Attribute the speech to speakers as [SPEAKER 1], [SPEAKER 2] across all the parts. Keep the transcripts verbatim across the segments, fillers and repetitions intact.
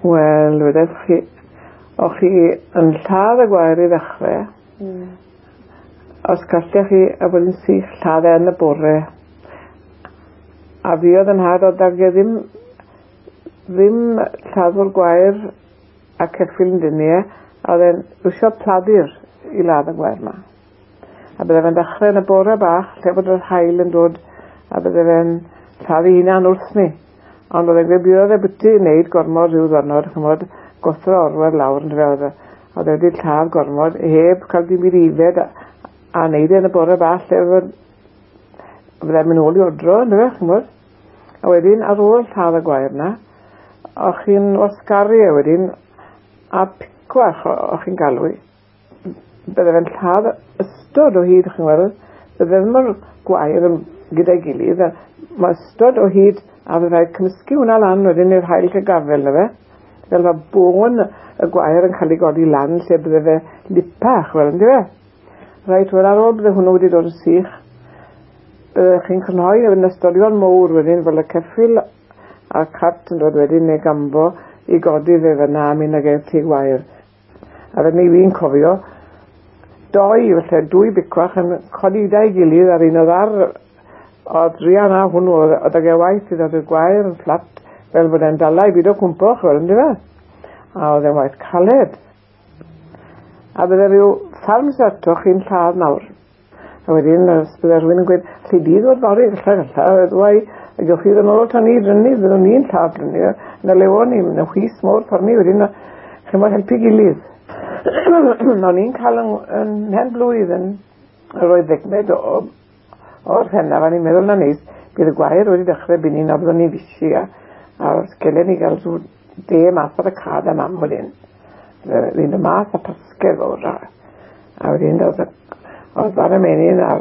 [SPEAKER 1] Wel, wedech chi, o'ch chi yn lladd y gwair i ddechrau.
[SPEAKER 2] Mm.
[SPEAKER 1] Os gallech chi, a bod yn sych, lladd e yn y bore. A fi oedd yn nhad, oedd ag e ddim, ddim lladdwr gwair a ceffyl yn dynnu e, a oedd e'n iwsio pladur i ladd y gwair ma. A bydde fe'n dechrau yn y bore bach, lle bod yr haul yn dod, a bydde fe'n lladdu hunan wrth ni. Ond oedd e'n gweud bydd oedd e byti i wneud gormod rhyw ddwrnod, ch'mod, gothro orwedd lawr yn fe oedd e. Oedd e wedi lladd gormod, heb cael dim byd i ifed, a, a wneud e yn y bore bach, lle oedd bydde'n mynd ôl i odro, yndyfe, ch'mod. A wedyn, ar ôl lladd y gwair na, o'ch chi'n wasgaru e wedyn, a picwach o'ch chi'n galw i. Bydde fe'n lladd ystod o hyd, chi'n gweld, bydde ddim o'r gwair yn gyda'i gilydd, a mae ystod o hyd, a bydde rhaid cymysgu hwnna lan wedyn i'r haul cael gafel na fe. Fel mae bôn y gwair yn cael ei godi lan lle bydde fe lipach, wel, yndyfe? Reit, wel ar ôl bydde hwnnw wedi dod yn sych, bydde chi'n crynhoi yn ystolion mowr wedyn, fel y ceffyl a'r cart yn dod wedyn neu gambo i godi fe fyna a mynd ag e tŷ gwair. A fe ni fi'n cofio, doi, felly dwy bicwach yn codi da'i gilydd ar un oedd ar, oedd druan a hwnnw, oedd ag e waith i ddod i'r gwair yn fflat, fel bod e'n dala i byd o cwmpo, chwel, yndyfe? A oedd e'n waith caled. A bydde rhyw ffarm ato chi'n lladd nawr. A wedyn, os bydde rhywun yn gweud, allu di ddod fory, galla, galla, ddwy, a gewch chi ddod nôl o tan ni, drynu, byddwn ni'n lladd drynu, na lewo ni, na whis mowr ffordd ni, wedyn, chi'n bod helpu gilydd. O'n i'n cael yn, yn mhen blwydd yn yr oedd ddegmed o, o'r hennaf, a ni'n meddwl na neis, bydd y gwair wedi dechrau byn ni, na byddwn ni'n fisi, a, a gelen ni gael rhyw de math ar y cad a mam wedyn. Fynd y math a pasgedd fawr, a, a wedyn oedd oedd bara menyn a'r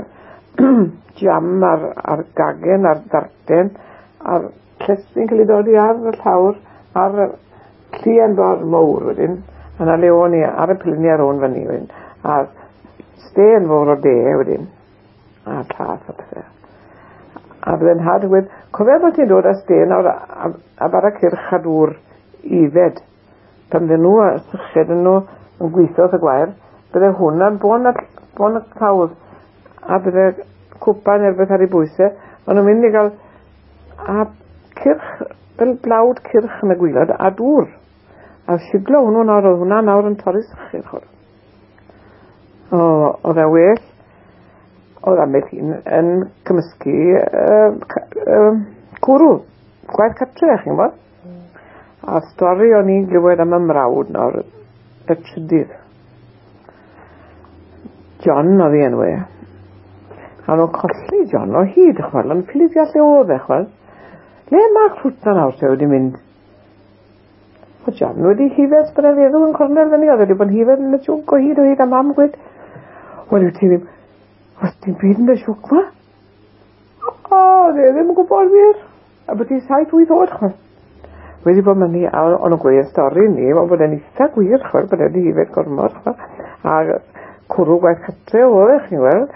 [SPEAKER 1] jam a'r, a'r gagen a'r darten a'r llestri'n cael ei dodi ar y llawr a'r llien fawr mowr wedyn. A na le o'n i ar y pilni ar ôn fyny wedyn. A'r stên fawr o de wedyn. A'r llath a pethau. A bydde'n nhad yn gweud, cofia bod ti'n dod â stên nawr a, a, a bara cyrch a dŵr ifed. Pan fydden nhw a syched yn nhw yn gweithio wrth y gwair, bydde hwnna'n bon y, bon y clawdd. A bydde cwpan neu rhywbeth ar ei bwysau. O'n nhw'n mynd i gael a cyrch, fel blawd cyrch yn y gwylod, a dŵr. A siglo hwnnw nawr, oedd hwnna nawr yn torri sychu'r chwr. O, oedd e well, oedd ambell un yn cymysgu uh, uh, cwrw, gwaith cartre, chi'n gwybod? A'r stori o'n i'n glywed am y mrawd nawr, y trydydd. John oedd ei enw e. A nhw'n colli John o hyd, chwel, ond ffili deall lle oedd e, chwel. Le mae'r crwt na nawr te wedi mynd? O John wedi hifed bod e'n feddwl yn cornel fyny, oedd wedi bod yn hifed yn y siwc o hyd o hyd, a mam gweud, wel, wyt ti ddim, oes dim byd yn y siwc ma? O, oedd e ddim yn gwybod wir. A bod hi saith wyth oed, chwel. Wedi bod myny, a o'n nhw'n gweud y stori ni, wel, bod e'n eitha gwir, chwel, bod e wedi hifed gormod, chwel. A cwrw gwaith cartre oedd e, chi'n gweld,